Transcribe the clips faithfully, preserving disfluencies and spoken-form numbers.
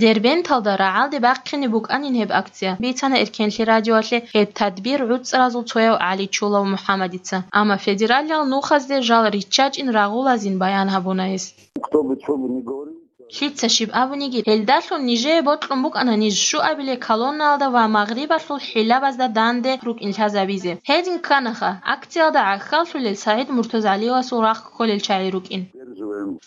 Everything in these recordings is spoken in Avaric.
Дербенталда рагӀалде бахъине букӀанин гьеб акция, бицана Эркенлъи радиоялъе гьеб тадбир гӀуцӀразул цояв ГӀали Чулав МухӀаммадица. Амма федералиал нухазде жал риччачӀин рагъулазин баян гьабуна гьес. Кто бы чё бы ни говорил. Лъица щиб абуниги, гьелдалъун нижее бокьун букӀана ниж щуабиле колоннаялда ва магърибалъул хӀилабазда данде рукӀин лъазабизе. Гьедин кканаха, акциялда гӀахьаллъулел СагӀид МуртазгӀалиевасул рахъ кколел чагӀи рукӀин.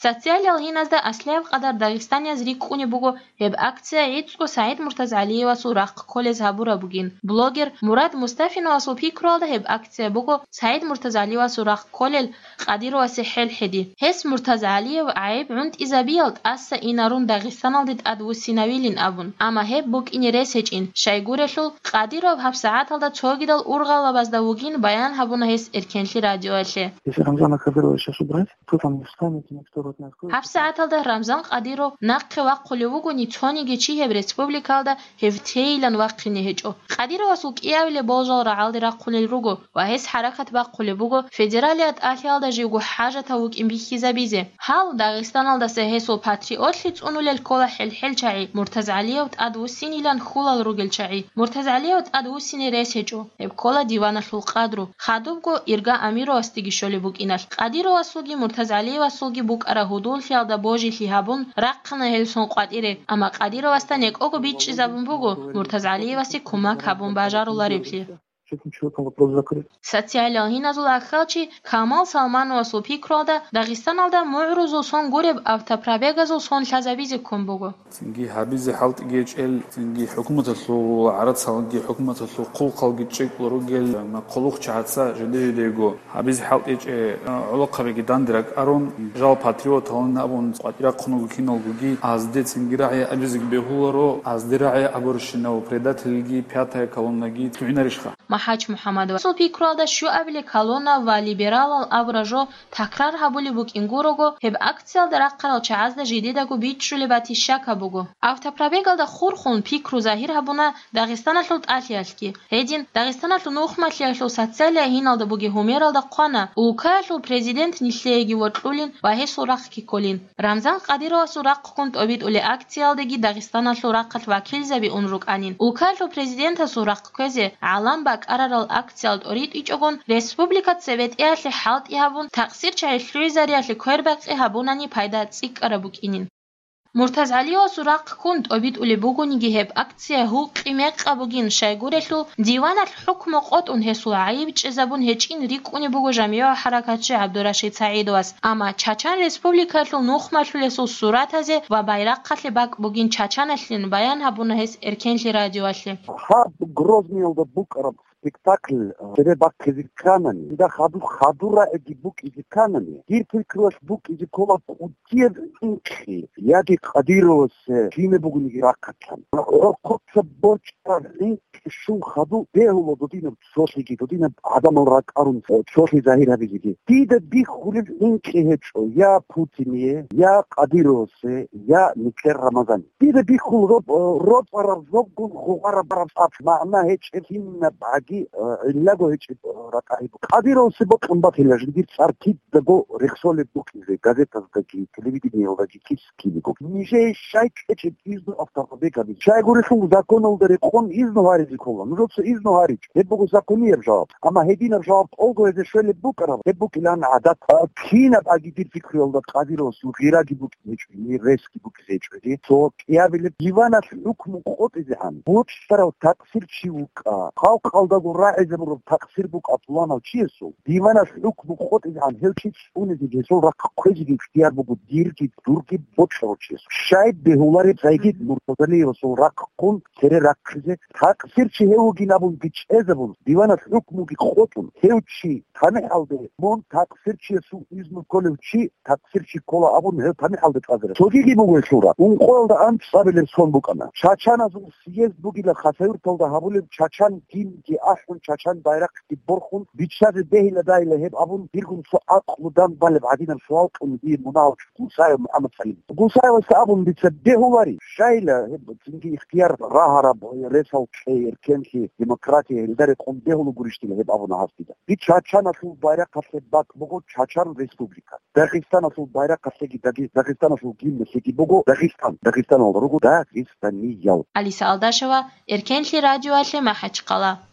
Социалиал гьиназда аслияб къадар дагъистанияз рикӀкӀунеб буго гьеб акция гӀицӀго СагӀид МуртазгӀалиевасул рахъ кколез гьабураб бугин. Блогер Мурад Мустафиновасул пикруялда гьеб акция буго СагӀид МуртазгӀалиевасул рахъ кколел Къадировасе хӀел хӀеди. Гьес МуртазгӀалиев гӀайиб гӀунтӀизабиял тӀаса инарун Дагъистаналде тӀадвуссинавилин абун, амма гьеб букӀине рес гьечӀин, щайгурелъул Къадиров гьабсагӀаталда цогидал ургъалабазда вугин баян гьабуна гьес Эркенлъи радиоялъе. Если Рамзана Кадырова сейчас убрать, то там не встанет никто вот на сколько. ГьабсагӀаталда Рамзан Къадиров нахъе вахъулев вугони, цониги чи гьеб республикалда гьев тейилан вахъине гьечӀо. Къадировасул кӀиявилеб болжал рагӀалде рахъунел руго ва гьес хӀаракат бахъулеб буго федералияб тӀалъиялда живго хӀажатав вукӀин бихьизабизе. Гьал Дагъистаналдаса гьесул патриотлъи цӀунулел ккола хӀел-хӀел чагӀи, МуртазгӀалиев тӀадвуссинилан хьулал ругел чагӀи. МуртазгӀалиев тӀадвуссине рес гьечӀо. Гьеб ккола диваналъул къадру, хадубго Ирга Амировасдеги щолеб букӀиналъ. Къадировасулги МуртазгӀалиевасулги букӀараб гьудуллъиялда божилъи гьабун, рахъана гьел сон къватӀире, амма Къадировасда некӀого бичӀчӀизабун буго МуртазгӀалиевасе кумак гьабун бажарулареблъи. С этим человеком вопрос закрыт. Социалиал гьиназул аххалчи Камал Салмановасул пикруялда Дагъистаналда мугӀрузул сон гуреб автопробегазул сон лъазабизе ккун буго. Цинги гьабизе хӀалтӀиги гьечӀел, цинги хӀукуматалъул гӀарацалги, хӀукуматалъул хъулухъалги чӀикӀкӀун ругел, ма хъулухъчагӀаца жиде-жидего гьабизе хӀалтӀичӀеб гӀолохъабиги данде ракӀарун, жал патриоталин абун къватӀирахъун руго киналгоги, азде цинги рагӀи абизеги бегьуларо, азде рагӀи абурщинав предательги, пятая колоннаги лъугӀинарищха? МахӀач МухӀаммадовасул пикруялда щуабилеб колонна ва либералал абураб жо такрар гьабулеб букӀин гурого, гьеб акциялда рахъарал чагӀазда жидедаго бичӀчӀулеб батищака буго. Автопробегалда хурхун пикру загьир гьабуна Дагъистаналъул тӀалъиялъги. Гьедин, Дагъистаналъул нухмалъиялъул социалияб гьиналда бугеб гьумералда хъвана, улкаялъул президент нилъееги вокьулин ва гьесул рахъги кколин. Рамзан Къадировасул рахъ ккун тӀобитӀулеб акциялдеги Дагъистаналъул рахъалъ вакилзаби ун рукӀанин. Улкаялъул президентасул рахъ кквезе гӀалам бакӀарарал акциял тӀоритӀичӀогон, республикаца бетӀиялъе хӀалтӀи гьабун, такъсирчагӀи лъугӀизариялъе квербакъи гьабунани пайда цӀикӀкӀараб букӀинин. МуртазгӀалиевасул рахъ ккун тӀобитӀулеб бугониги гьеб акция гьукъи-мекъаб бугин, щайгурелъул диваналъ хӀукму къотӀун гьесул гӀайиб чӀезабун гьечӀин рикӀкӀунеб буго жамигӀ хӀаракатчи ГӀабдурашид СагӀидовас, амма Чачан Республикаялъул нухмалъулесул суратазе ва байрахъалъе бакӀ бугин чачаналъин баян гьабуна гьес Эркенлъи радиоялъе. Гьаб Грозныйалда букӀараб спектакль, э, цере бахъизе кканани, дида хадур, хадур рагӀиги букӀизе кканани, дир пикруялъ букӀизе ккола кӀудияб гӀинкъи, яги Къадировасе кинаб бугониги рахъалъан. ГӀорхъоца борчӀараб гӀинкъи щун хадуб бегьула додинаб цолъиги, додинаб гӀадамал ракӀарун, э, цолъи загьир гьабизеги. Дида бихьулеб гӀинкъи гьечӀо я Путине, я Къадировасе, я нилъер Рамазане. Дида бихьул роб-, э, роцӀараб зобгун гъугъараб бараб цӀар, магӀна гьечӀеб кинаб гӀаги, э, гӀиллаго гьечӀеб, э, ратӀа гьеб. Къадировасе бокьун батила жиндир цӀар кидаго рехсолеб букӀизе, газетаздаги, телевидениялдаги кис кинего. Нижее щай кьечӀеб изну автопробег гьабизе? Щайгурелъул законалда рекъон изну гьаризе ккола. Нужеца изну гьаричӀо. Гьеб буго законияб жаваб. Амма гьединаб жаваб тӀолго гьезе щвелеб букӀараб, гьеб букӀилан гӀадат. А, кинаб гӀаги дир пикруялда Къадировасул гъираги букӀине гьечӀо, гьесги букӀизе гьечӀо. Цо кӀиабилеб диваналъ хӀукму къотӀизегӀан бокьарав такъсир чи вукӀа. Халкъалдаго рагӀизабураб такъсир букӀа пуланав чиясул. Диваналъ хӀукму къотӀизегӀан гьев чи цӀунизеги гьесул рахъ кквезеги ихтияр буго дирги дурги бокьарав чиясул. Щай бегьулареб Сагьид Муртазалиевасул рахъ ккун цере рахъизе, такъсир чи гьев вугин абунги чӀезабун, диваналъ хӀукмуги къотӀун, гьев чи тамихӀалде мун такъсир чиясул изну кколев чи такъсир чи ккола абун, гьев тамихӀалде цӀазарав. Цогиги буго гьелъул рахъ. Ункъоялда анцӀабилеб сон букӀана. Чачаназул съезд бугила Хасавюрталда гьабулеб, Чачан гимнги ахӀун, чачан байрахъги борхун, биччазе бегьила-дайила гьеб абун, диргун цо акълудан балеб гӀадинаб суал кьун дие мунагьал Гусаев МухӀаммад СагӀид. Гусаевасда абун дица бегьулари, щайила гьеб цинги ихтияр рагьараб ресал кьей, эркенлъи, демократия, гьелда рекъон бегьула гурищ дила гьеб абуна гьас дида. Дир чачаналъул байрахъалъе бакӀ буго Чачан Республика. Дагъистаналъул байрахъалъеги Дагъи-, Дагъистаналъул гимналъеги буго Дагъистан. Дагъистаналда руго дагъистаниял. Алиса Алдашева, Эркенлъи радиоялъе МахӀачхъала.